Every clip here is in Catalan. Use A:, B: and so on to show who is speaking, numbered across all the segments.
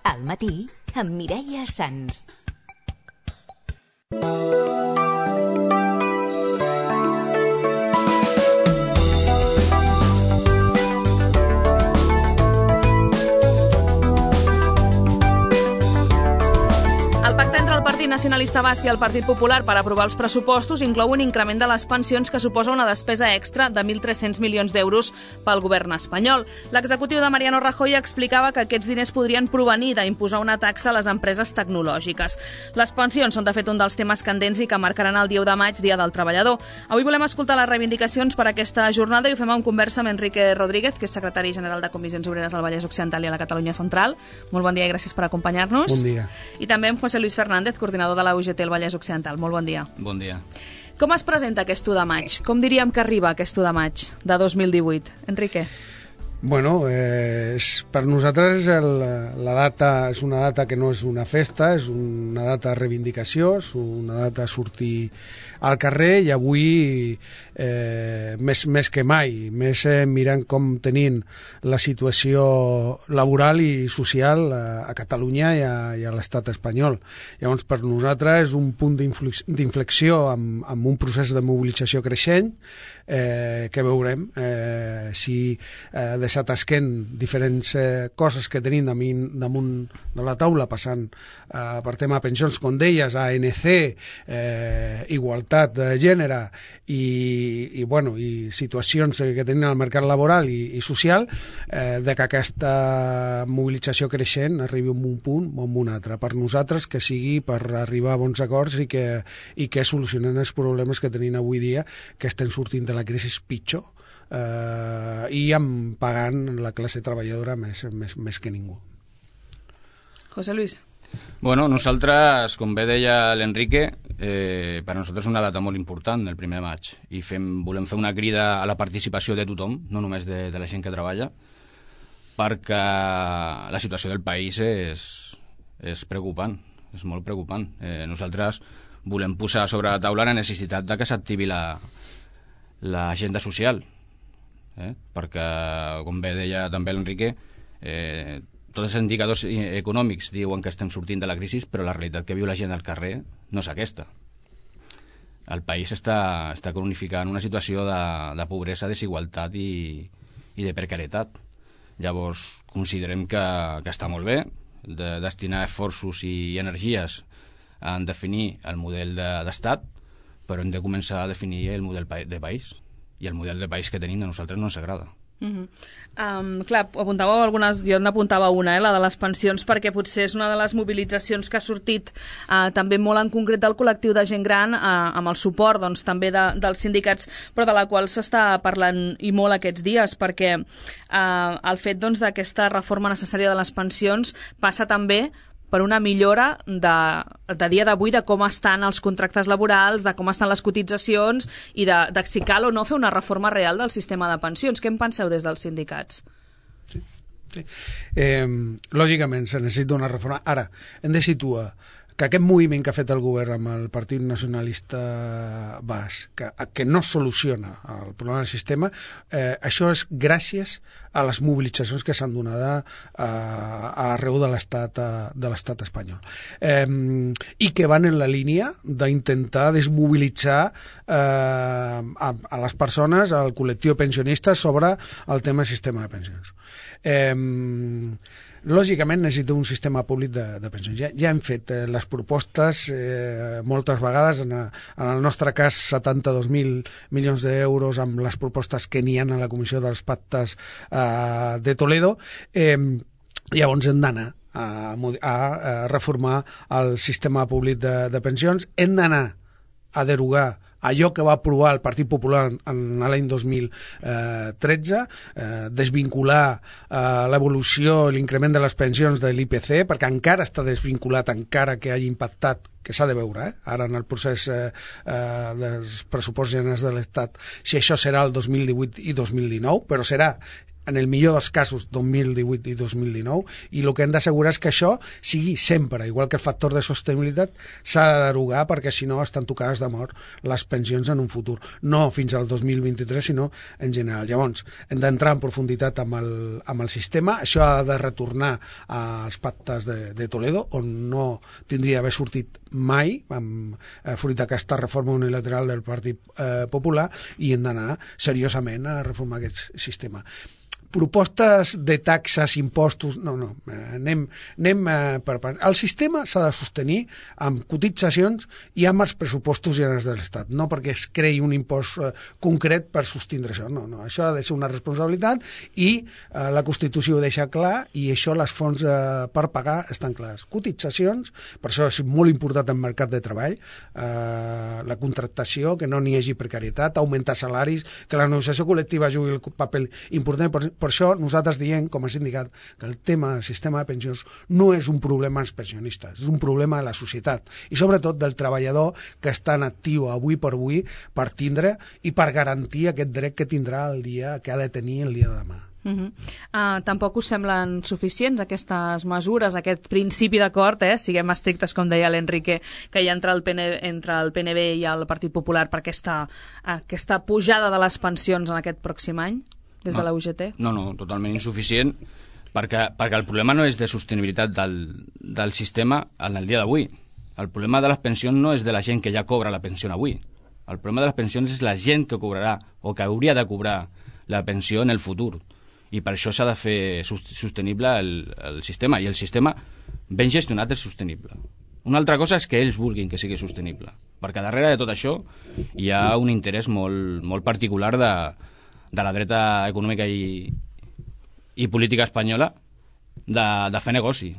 A: Al matí, amb Mireia Sans.
B: El pacte entre el Partit Nacionalista Basc i el Partit Popular per aprovar els pressupostos inclou un increment de les pensions que suposa una despesa extra de 1.300 milions d'euros pel govern espanyol. L'executiu de Mariano Rajoy explicava que aquests diners podrien provenir d'imposar una taxa a les empreses tecnològiques. Les pensions són, de fet, un dels temes candents i que marcaran el 10 de maig, Dia del Treballador. Avui volem escoltar les reivindicacions per a aquesta jornada i ho fem en conversa amb Enrique Rodríguez, que és secretari general de Comissions Obreres del Vallès Occidental i a la Catalunya Central. Molt bon dia i gràcies per acompanyar-nos.
C: Bon dia.
B: I també amb José Luis Fernández, coordinador de la UGT al Vallès Occidental. Molt bon dia.
D: Bon dia.
B: Com es presenta aquest 1 de maig? Com diríem que arriba aquest 1 de maig de 2018? Enrique.
C: Bueno, per nosaltres la data és una data que no és una festa, és una data de reivindicació, és una data de sortir al carrer i avui més que mai, més mirant com tenim la situació laboral i social a Catalunya i a l'estat espanyol. Llavors, per nosaltres és un punt d'inflexió amb un procés de mobilització creixent que veurem si deixat esquent diferents coses que tenim damunt de la taula, passant per tema pensions, com deies, ANC, igualtat de gènere i situacions que tenim al mercat laboral i social, de que aquesta mobilització creixent arribi a un punt o a un altre. Per nosaltres, que sigui per arribar a bons acords i que solucionen els problemes que tenim avui dia, que estem sortint de la crisi pitjor i pagant la classe treballadora més que ningú.
B: José Luis.
D: Bueno, nosaltres, com bé deia l'Enrique, per nosaltres és una data molt important, el 1 de maig, i volem fer una crida a la participació de tothom, no només de la gent que treballa, perquè la situació del país és preocupant, és molt preocupant. Nosaltres volem posar sobre la taula la necessitat de que s'activi l'agenda social, perquè, com bé deia també l'Enrique, tots els indicadors econòmics diuen que estem sortint de la crisi, però la realitat que viu la gent al carrer no és aquesta. El país està cronificant una situació de pobresa, desigualtat i de precarietat. Llavors, considerem que està molt bé de destinar esforços i energies a definir el model d'estat, però hem de començar a definir el model de país. I el model de país que tenim a nosaltres no ens agrada.
B: Clar, apuntàveu algunes, jo n'apuntava una, la de les pensions, perquè potser és una de les mobilitzacions que ha sortit també molt en concret del col·lectiu de gent gran, amb el suport doncs, també dels sindicats, però de la qual s'està parlant i molt aquests dies, perquè el fet doncs, d'aquesta reforma necessària de les pensions passa també per una millora de dia d'avui de com estan els contractes laborals, de com estan les cotitzacions i de si cal o no fer una reforma real del sistema de pensions. Què en penseu des dels sindicats?
C: Sí. Lògicament, se necessita una reforma. Ara, hem de situar que aquest moviment que ha fet el govern amb el Partit Nacionalista Basc, que no soluciona el problema del sistema, això és gràcies a les mobilitzacions que s'han donat arreu de l'estat espanyol. I que van en la línia d'intentar desmobilitzar a les persones, al col·lectiu pensionista, sobre el tema del sistema de pensions. Lògicament necessita un sistema públic de pensions. Ja hem fet les propostes moltes vegades, en el nostre cas 72.000 milions d'euros amb les propostes que n'hi ha a la Comissió dels Pactes de Toledo. Llavors hem d'anar a reformar el sistema públic de pensions, hem d'anar a derogar allò que va aprovar el Partit Popular en l'any 2013, desvincular l'evolució i l'increment de les pensions de l'IPC, perquè encara està desvinculat, encara que hagi impactat, que s'ha de veure, ara en el procés dels pressupostos generals de l'Estat, si això serà el 2018 i 2019, però serà en el millor dels casos 2018 i 2019, i el que hem d'assegurar és que això sigui sempre, igual que el factor de sostenibilitat s'ha de derogar, perquè si no estan tocades de mort les pensions en un futur, no fins al 2023 sinó en general. Llavors hem d'entrar en profunditat amb el sistema, això ha de retornar als pactes de Toledo, on no tindria d'haver sortit mai fruit d'aquesta reforma unilateral del Partit Popular, i hem d'anar seriosament a reformar aquest sistema. Propostes de taxes, impostos, no, anem per part. El sistema s'ha de sostenir amb cotitzacions i amb els pressupostos generals de l'Estat, no perquè es creï un impost concret per sostindre això, no, això ha de ser una responsabilitat, i la Constitució ho deixa clar, i això les fonts per pagar estan clares. Cotitzacions, per això és molt important el mercat de treball, la contractació, que no n'hi hagi precarietat, augmentar salaris, que la negociació col·lectiva jugui el paper important. Per això nosaltres diem, com a sindicat, que el tema del sistema de pensions no és un problema dels pensionistes, és un problema de la societat, i sobretot del treballador que està en actiu avui per avui per tindre i per garantir aquest dret que tindrà el dia que ha de tenir el dia de demà.
B: Tampoc us semblen suficients aquestes mesures, aquest principi d'acord, siguem estrictes, com deia l'Enrique, que hi ha entre el PNB i el Partit Popular per aquesta pujada de les pensions en aquest pròxim any, des de la UGT?
D: No, totalment insuficient, perquè el problema no és de sostenibilitat del sistema en el dia d'avui. El problema de les pensions no és de la gent que ja cobra la pensió avui. El problema de les pensions és la gent que cobrarà o que hauria de cobrar la pensió en el futur. I per això s'ha de fer sostenible el sistema, i el sistema ben gestionat és sostenible. Una altra cosa és que ells vulguin que sigui sostenible, perquè darrere de tot això hi ha un interès molt particular de la dreta econòmica i política espanyola de fer negoci.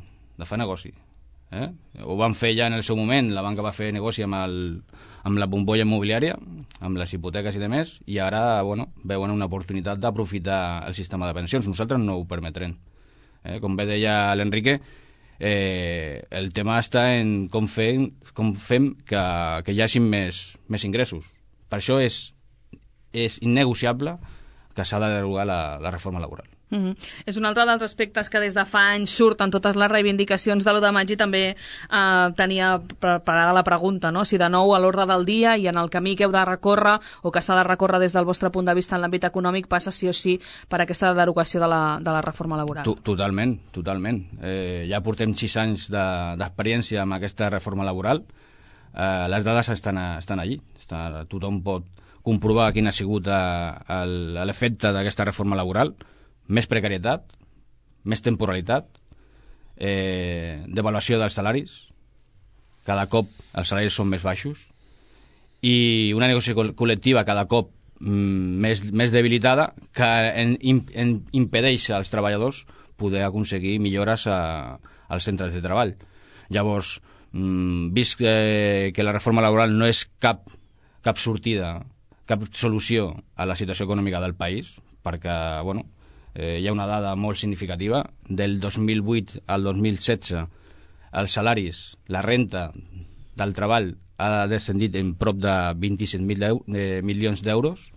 D: Ho van fer ja en el seu moment, la banca va fer negoci amb la bombolla immobiliària, amb les hipoteques i demés, i ara veuen una oportunitat d'aprofitar el sistema de pensions. Nosaltres no ho permetrem. Com bé deia l'Enrique, el tema està en com fem que hi hagi més ingressos. Per això és innegociable que s'ha de derogar la reforma laboral.
B: És un altre dels aspectes que des de fa anys surten totes les reivindicacions de l'1 de maig, i també tenia preparada la pregunta, no? Si de nou a l'ordre del dia i en el camí que heu de recórrer o que s'ha de recórrer des del vostre punt de vista en l'àmbit econòmic passa sí o sí per aquesta derogació de la reforma laboral.
D: Totalment. Ja portem 6 anys d'experiència amb aquesta reforma laboral. Les dades estan allí. Tothom pot comprovar quin ha sigut l'efecte d'aquesta reforma laboral. Més precarietat, més temporalitat, devaluació dels salaris, cada cop els salaris són més baixos, i una negociació col·lectiva cada cop més debilitada, que impedeix als treballadors poder aconseguir millores als centres de treball. Llavors, vist que la reforma laboral no és cap sortida, cap solució a la situació econòmica del país, perquè, hi ha una dada molt significativa. Del 2008 al 2016 els salaris, la renta del treball ha descendit en prop de 27.000 milions d'euros,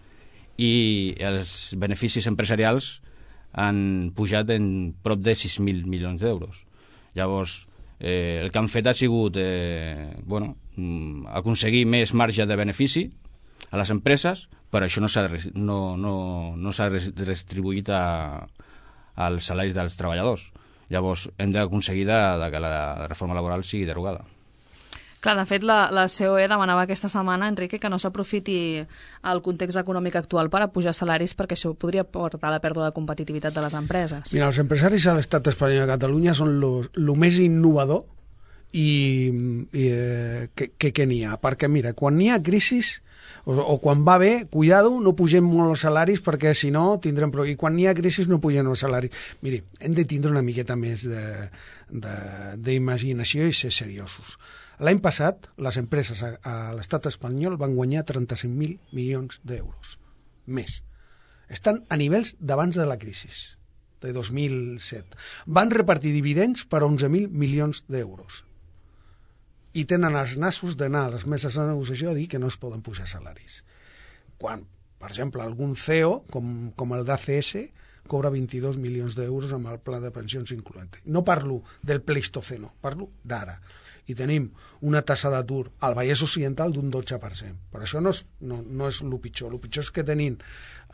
D: i els beneficis empresarials han pujat en prop de 6.000 milions d'euros. Llavors, el que han fet ha sigut aconseguir més marge de benefici a les empreses, però això no s'ha redistribuït als salaris dels treballadors. Llavors hem d'aconseguir que la reforma laboral sigui derogada.
B: Clar, de fet, la COE demanava aquesta setmana, Enrique, que no s'aprofiti el context econòmic actual per a pujar salaris, perquè això podria portar a la pèrdua de competitivitat de les empreses.
C: Mira, els empresaris a l'estat espanyol i a Catalunya són lo més innovador que n'hi ha, perquè mira, quan n'hi ha crisis o quan va bé, cuidado, no pugem molt els salaris, perquè si no tindrem problemes, i quan n'hi ha crisi no pugem els salaris. Miri, hem de tindre una miqueta més d'imaginació i ser seriosos. L'any passat, les empreses a l'estat espanyol van guanyar 35.000 milions d'euros. Més. Estan a nivells d'abans de la crisi, de 2007. Van repartir dividends per 11.000 milions d'euros. I tenen els nassos d'anar a les meses de negociació a dir que no es poden pujar salaris. Quan, per exemple, algun CEO, com el d'ACS, cobra 22 milions d'euros amb el pla de pensions incloent. No parlo del Pleistoceno, parlo d'ara. I tenim una tassa d'atur al Vallès Occidental d'un 12%. Per això no és el pitjor. El pitjor és que tenim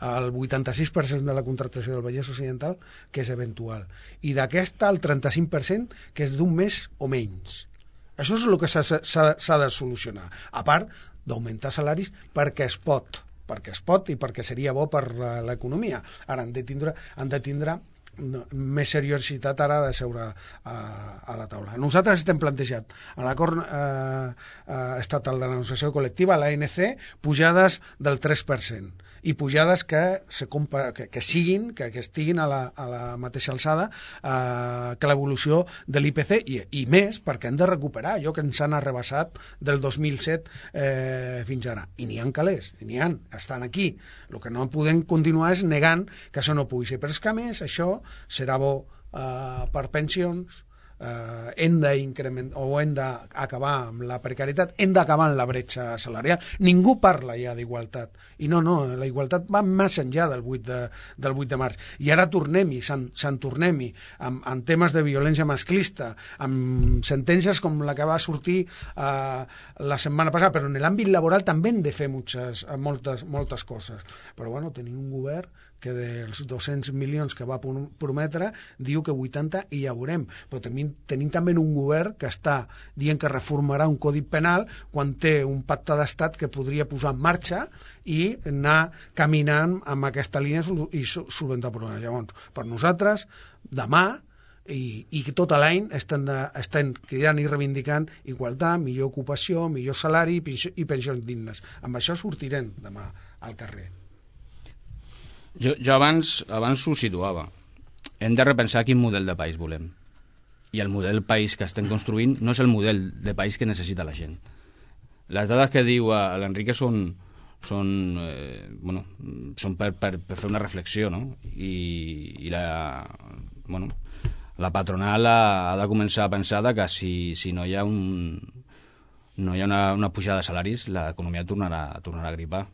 C: el 86% de la contractació del Vallès Occidental, que és eventual. I d'aquesta, el 35%, que és d'un mes o menys. Això és el que s'ha de solucionar. A part d'augmentar salaris perquè es pot i perquè seria bo per l'economia. Ara han de tindre més seriositat ara de seure a la taula. Nosaltres estem plantejat a l'acord estatal de la negociació col·lectiva, l'ANC, pujades del 3% i pujades que estiguin a la mateixa alçada que l'evolució de l'IPC i més, perquè hem de recuperar allò que ens han arrebassat del 2007 fins ara. I n'hi ha calés, estan aquí. El que no podem continuar és negant que això no pugui ser. Però és que, a més, això serà bo per pensions, hem d'acabar amb la precarietat, hem d'acabar amb la bretxa salarial. Ningú parla ja d'igualtat. I no, la igualtat va més enllà del 8 de març. I ara tornem-hi, se'n tornem-hi, amb temes de violència masclista, amb sentències com la que va sortir la setmana passada, però en l'àmbit laboral també hem de fer moltes coses. Però bueno, tenim un govern que dels 200 milions que va prometre diu que 80 hi haurem, però tenim també un govern que està dient que reformarà un codi penal quan té un pacte d'estat que podria posar en marxa i anar caminant amb aquesta línia i solventar problemes. Llavors, per nosaltres, demà i tot l'any estem cridant i reivindicant igualtat, millor ocupació, millor salari i pensions dignes. Amb això sortirem demà al carrer.
D: Jo abans ho situava. Hem de repensar quin model de país volem. I el model de país que estem construint no és el model de país que necessita la gent. Les dades que diu l'Enrique són per fer una reflexió, no? I la patronal ha de començar a pensar que si no hi ha una pujada de salaris, l'economia tornarà a gripar.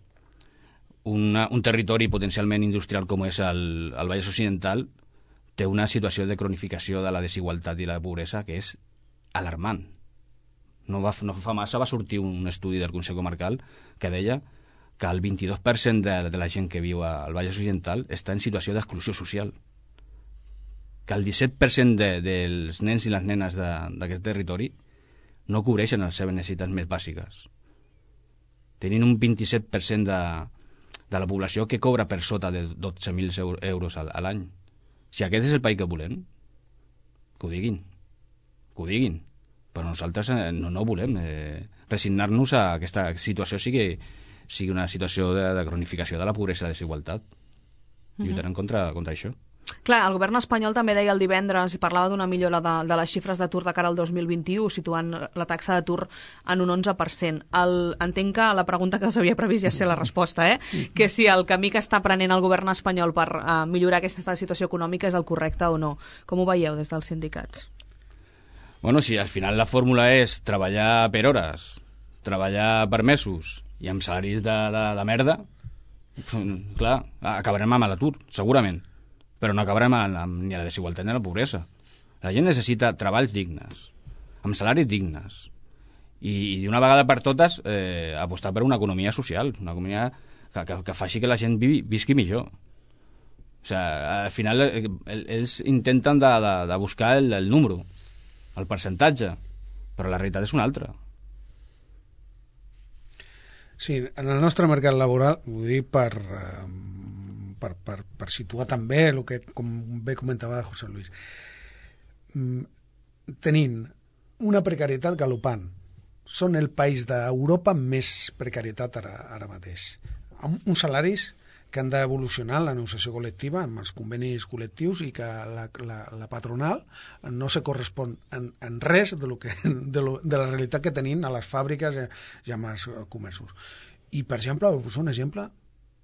D: Un territori potencialment industrial com és el Vallès Occidental té una situació de cronificació de la desigualtat i la pobresa que és alarmant. No fa massa va sortir un estudi del Consell Comarcal que deia que el 22% de la gent que viu al Vallès Occidental està en situació d'exclusió social, que el 17% dels nens i les nenes d'aquest territori no cobreixen les seves necessitats més bàsiques. Tenint un 27% de la població que cobra per sota de 12.000 euros a l'any. Si aquest és el país que volem, que ho diguin. Però nosaltres no volem resignar-nos a que aquesta situació sigui una situació de cronificació de la pobresa i la desigualtat. Lluitarem contra això.
B: Clar, el govern espanyol també deia el divendres i parlava d'una millora de les xifres d'atur de cara al 2021, situant la taxa d'atur en un 11%. Entenc que la pregunta que s'havia previst ja sé la resposta, que si el camí que està prenent el govern espanyol per millorar aquesta situació econòmica és el correcte o no. Com ho veieu des dels sindicats?
D: Bueno, si al final la fórmula és treballar per hores, treballar per mesos i amb salaris de merda, clar, acabarem amb l'atur, segurament. Però no acabarem ni la desigualtat ni la pobresa. La gent necessita treballs dignes, amb salaris dignes, i d'una vegada per totes apostar per una economia social, una economia que faci que la gent visqui millor. O sigui, al final ells intenten de buscar el número, el percentatge, però la realitat és una altra.
C: Sí, en el nostre mercat laboral, ho dic per situar també el que, com bé comentava José Luis, tenint una precarietat galopant. Són el país d'Europa amb més precarietat ara mateix. Amb uns salaris que han d'evolucionar la negociació col·lectiva amb els convenis col·lectius i que la patronal no se correspon en res de la realitat que tenim a les fàbriques i amb els comerços. I, per exemple, un exemple,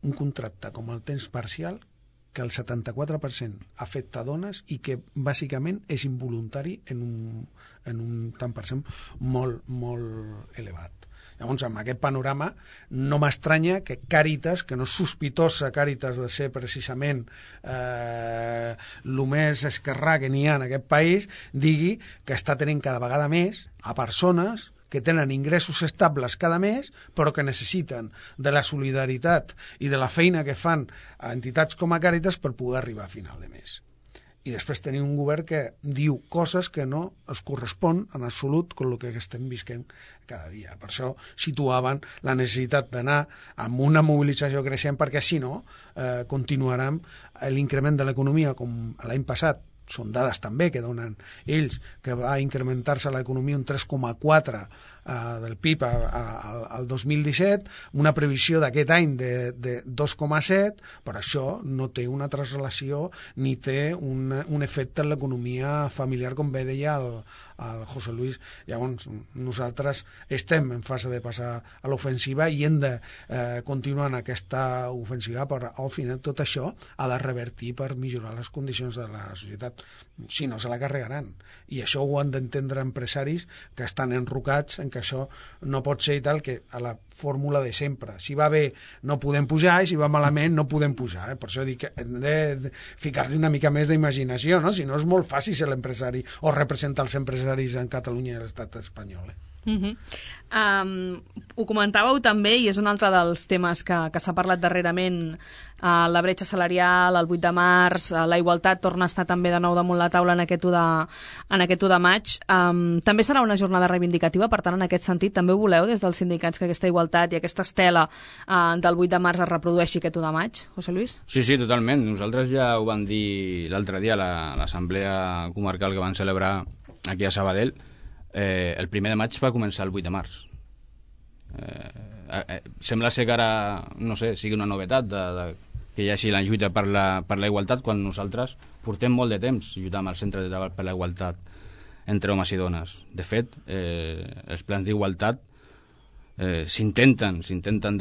C: un contracte com el temps parcial que el 74% afecta dones i que bàsicament és involuntari en un tant per cent molt, molt elevat. Llavors, amb aquest panorama, no m'estranya que Càritas, que no és sospitosa Càritas de ser precisament el més esquerrà que n'hi ha en aquest país, digui que està tenint cada vegada més a persones que tenen ingressos estables cada mes, però que necessiten de la solidaritat i de la feina que fan a entitats com a Càritas per poder arribar a final de mes. I després tenim un govern que diu coses que no es correspon en absolut amb el que estem visquent cada dia. Per això situaven la necessitat d'anar amb una mobilització creixent, perquè si no continuarem l'increment de l'economia com l'any passat. Són dades també que donen ells, que va incrementar-se l'economia un 3,4 del PIB al 2017, una previsió d'aquest any de 2,7, però això no té una translació ni té un efecte en l'economia familiar, com bé deia el José Luis. Llavors, nosaltres estem en fase de passar a l'ofensiva i hem de continuar en aquesta ofensiva, però al final tot això ha de revertir per millorar les condicions de la societat. Si no, se la carregaran. I això ho han d'entendre empresaris que estan enrocats en que això no pot ser i tal, que a la fórmula de sempre. Si va bé no podem pujar i si va malament no podem pujar. Per això dic que hem de ficar-li una mica més d'imaginació, no? Si no és molt fàcil ser l'empresari o representar els empresaris en Catalunya i l'estat espanyol.
B: Ho comentàveu també, i és un altre dels temes que s'ha parlat darrerament, la bretxa salarial, el 8 de març, la igualtat torna a estar també de nou damunt la taula en aquest 1 de maig. També serà una jornada reivindicativa, per tant, en aquest sentit, també ho voleu des dels sindicats que aquesta igualtat i aquesta estela del 8 de març es reprodueixi aquest 1 de maig, José Luis?
D: Sí, totalment. Nosaltres ja ho vam dir l'altre dia a l'assemblea comarcal que van celebrar aquí a Sabadell. El 1 de maig va començar el 8 de març. Sembla ser que ara, no sé, sigui una novetat que hi hagi la lluita per la igualtat, quan nosaltres portem molt de temps lluitant amb el Centre de Treball per la Igualtat entre homes i dones. De fet, els plans d'igualtat s'intenten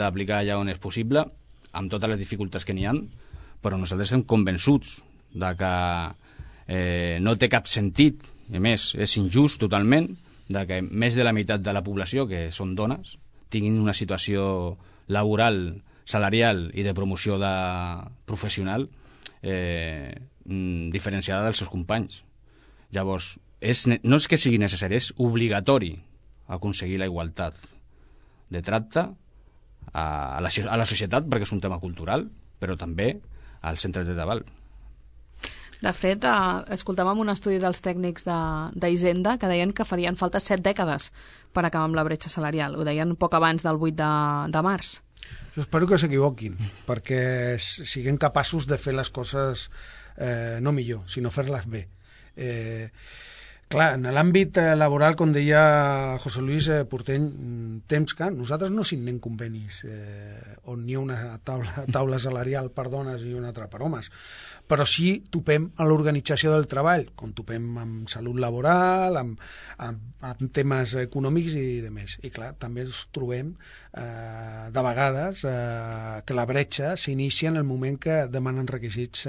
D: d'aplicar allà on és possible, amb totes les dificultats que n'hi ha, però nosaltres estem convençuts de que no té cap sentit, i a més és injust totalment, de que més de la meitat de la població, que són dones, tinguin una situació laboral, salarial i de promoció professional diferenciada dels seus companys. Llavors, no és que sigui necessari, és obligatori aconseguir la igualtat de tracte a la societat, perquè és un tema cultural, però també als centres de treball.
B: De fet, escoltàvem un estudi dels tècnics d'Hisenda que deien que farien falta 7 dècades per acabar amb la bretxa salarial. Ho deien poc abans del 8 de març.
C: Jo espero que s'equivoquin, perquè siguem capaços de fer les coses no millor, sinó fer-les bé. Clar, en l'àmbit laboral, com deia José Luis, portem temps que nosaltres no signem convenis on hi ha una taula salarial per dones i una altra per homes, però sí topem a l'organització del treball, com topem amb salut laboral, amb temes econòmics i de més. I clar, també ens trobem de vegades que la bretxa s'inicia en el moment que demanen requisits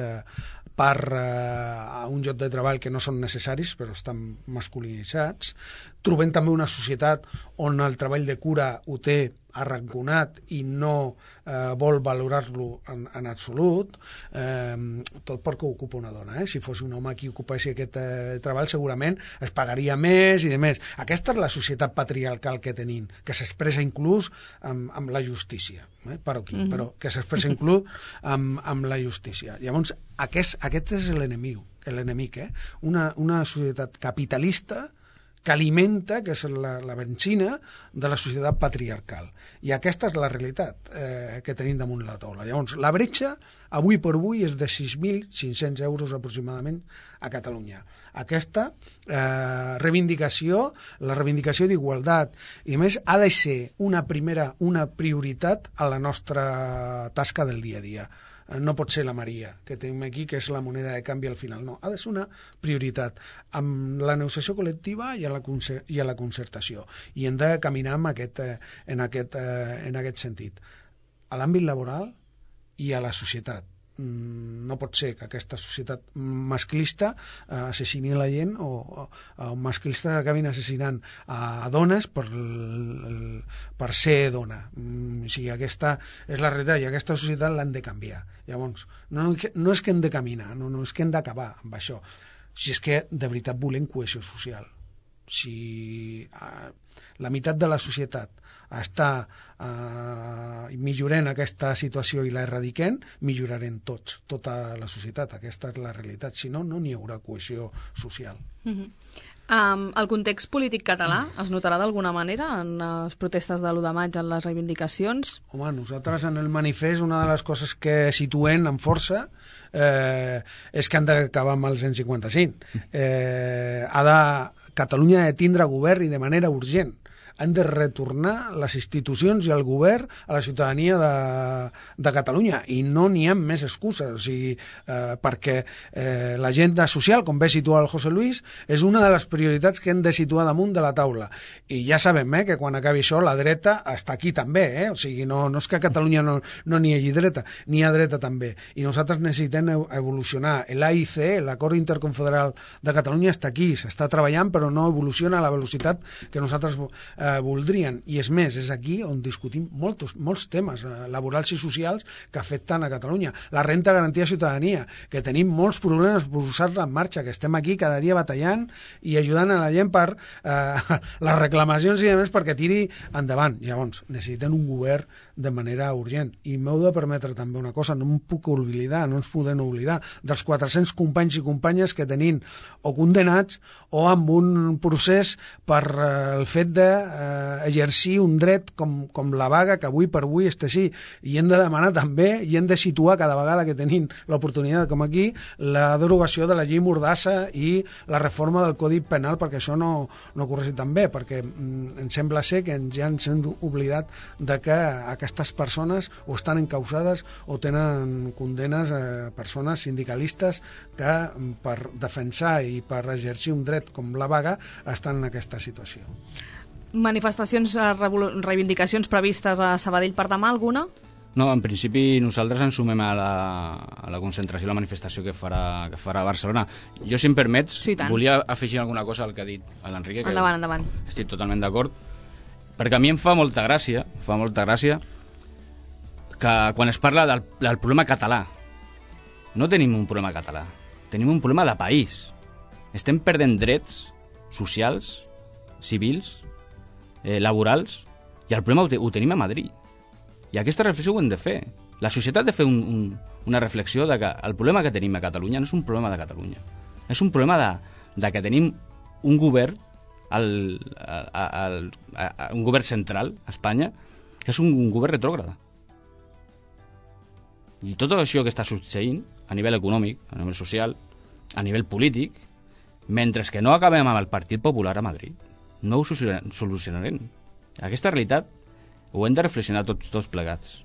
C: per a un lloc de treball que no són necessaris però estan masculinitzats. Trobem també una societat on el treball de cura ho té arranconat i no vol valorar-lo en absolut, tot perquè ho ocupa una dona. Si fos un home qui ocupés aquest treball segurament es pagaria més i de més. Aquesta és la societat patriarcal que tenim, que s'expressa inclús amb la justícia, però que s'expressa inclús amb la justícia. Llavors, aquest és l'enemic, una societat capitalista que alimenta, que és la benzina de la societat patriarcal. I aquesta és la realitat que tenim damunt la taula. Llavors, la bretxa, avui per avui, és de 6.500 euros aproximadament a Catalunya. Aquesta reivindicació, la reivindicació d'igualtat, i a més ha de ser una prioritat a la nostra tasca del dia a dia. No pot ser la Maria, que tenim aquí, que és la moneda de canvi al final. No, ha de ser una prioritat amb la negociació col·lectiva i a la concertació. I hem de caminar en aquest sentit. A l'àmbit laboral i a la societat. No pot ser que aquesta societat masclista assassini la gent o masclistes acabin assassinant a dones per ser dona. O sigui, aquesta és la realitat i aquesta societat l'han de canviar. Llavors, no és que hem de caminar, no és que hem d'acabar amb això, si és que de veritat volem cohesió social. Si la meitat de la societat està millorant aquesta situació i la erradiquem, millorarem tots, tota la societat. Aquesta és la realitat. Si no, no n'hi haurà cohesió social.
B: El context polític català es notarà d'alguna manera en les protestes de l'1 de maig, en les reivindicacions?
C: Home, nosaltres en el manifest una de les coses que situem amb força és que han d'acabar amb el 155. Catalunya ha de tindre govern i de manera urgent. Han de retornar les institucions i el govern a la ciutadania de Catalunya i no n'hi ha més excuses, o sigui, perquè l'agenda social, com bé situa el José Luis, és una de les prioritats que hem de situar damunt de la taula. I ja sabem que quan acabi això la dreta està aquí també, o sigui, no és que a Catalunya no n'hi hagi dreta, n'hi ha dreta també. I nosaltres necessitem evolucionar. L'AIC, l'Acord Interconfederal de Catalunya, està aquí, s'està treballant, però no evoluciona a la velocitat que nosaltres voldrien, i és més, és aquí on discutim molts temes laborals i socials que afecten a Catalunya. La renta garantida de ciutadania, que tenim molts problemes per posar-la en marxa, que estem aquí cada dia batallant i ajudant a la gent per les reclamacions i demés perquè tiri endavant. Llavors, necessitem un govern de manera urgent. I m'heu de permetre també una cosa, no em puc oblidar, no ens podem oblidar dels 400 companys i companyes que tenim o condenats o amb un procés per el fet de exercir un dret com la vaga, que avui per avui està així, i hem de demanar també i hem de situar cada vegada que tenim l'oportunitat com aquí la derogació de la llei Mordassa i la reforma del Codi Penal perquè això no corregui tan bé, perquè em sembla ser que ja ens hem oblidat de que aquestes persones o estan encausades o tenen condenes persones sindicalistes que per defensar i per exercir un dret com la vaga estan en aquesta situació.
B: Manifestacions, reivindicacions previstes a Sabadell per demà, alguna?
D: No, en principi nosaltres ens sumem a la concentració, a la manifestació que farà a Barcelona. Jo, si em permets, volia afegir alguna cosa al que ha dit l'Enrique, que
B: endavant.
D: Estic totalment d'acord, perquè a mi em fa molta gràcia que quan es parla del problema català, no tenim un problema català, tenim un problema de país. Estem perdent drets socials, civils, laborals, i el problema ho tenim a Madrid. I aquesta reflexió ho hem de fer. La societat ha de fer una reflexió de que el problema que tenim a Catalunya no és un problema de Catalunya. És un problema de que tenim un govern, un govern central, a Espanya, que és un govern retrògrada. I tot això que està succeint a nivell econòmic, a nivell social, a nivell polític, mentre que no acabem amb el Partit Popular a Madrid, no ho solucionarem. Aquesta realitat ho hem de reflexionar tots plegats.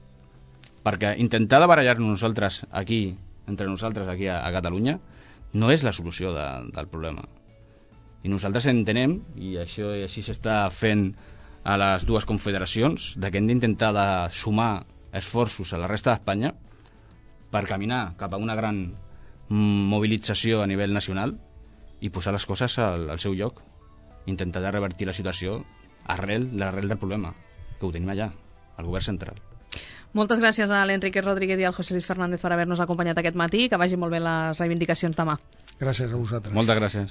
D: Perquè intentar de barallar-nos nosaltres aquí, entre nosaltres aquí a Catalunya, no és la solució del problema. I nosaltres entenem, i així s'està fent a les dues confederacions, que hem d'intentar de sumar esforços a la resta d'Espanya per caminar cap a una gran mobilització a nivell nacional i posar les coses al seu lloc. Intentar de revertir la situació l'arrel del problema, que ho tenim allà, al govern central.
B: Moltes gràcies a l'Enrique Rodríguez i al José Luis Fernández per haver-nos acompanyat aquest matí. Que vagi molt bé les reivindicacions demà.
C: Gràcies a vosaltres.
D: Moltes gràcies.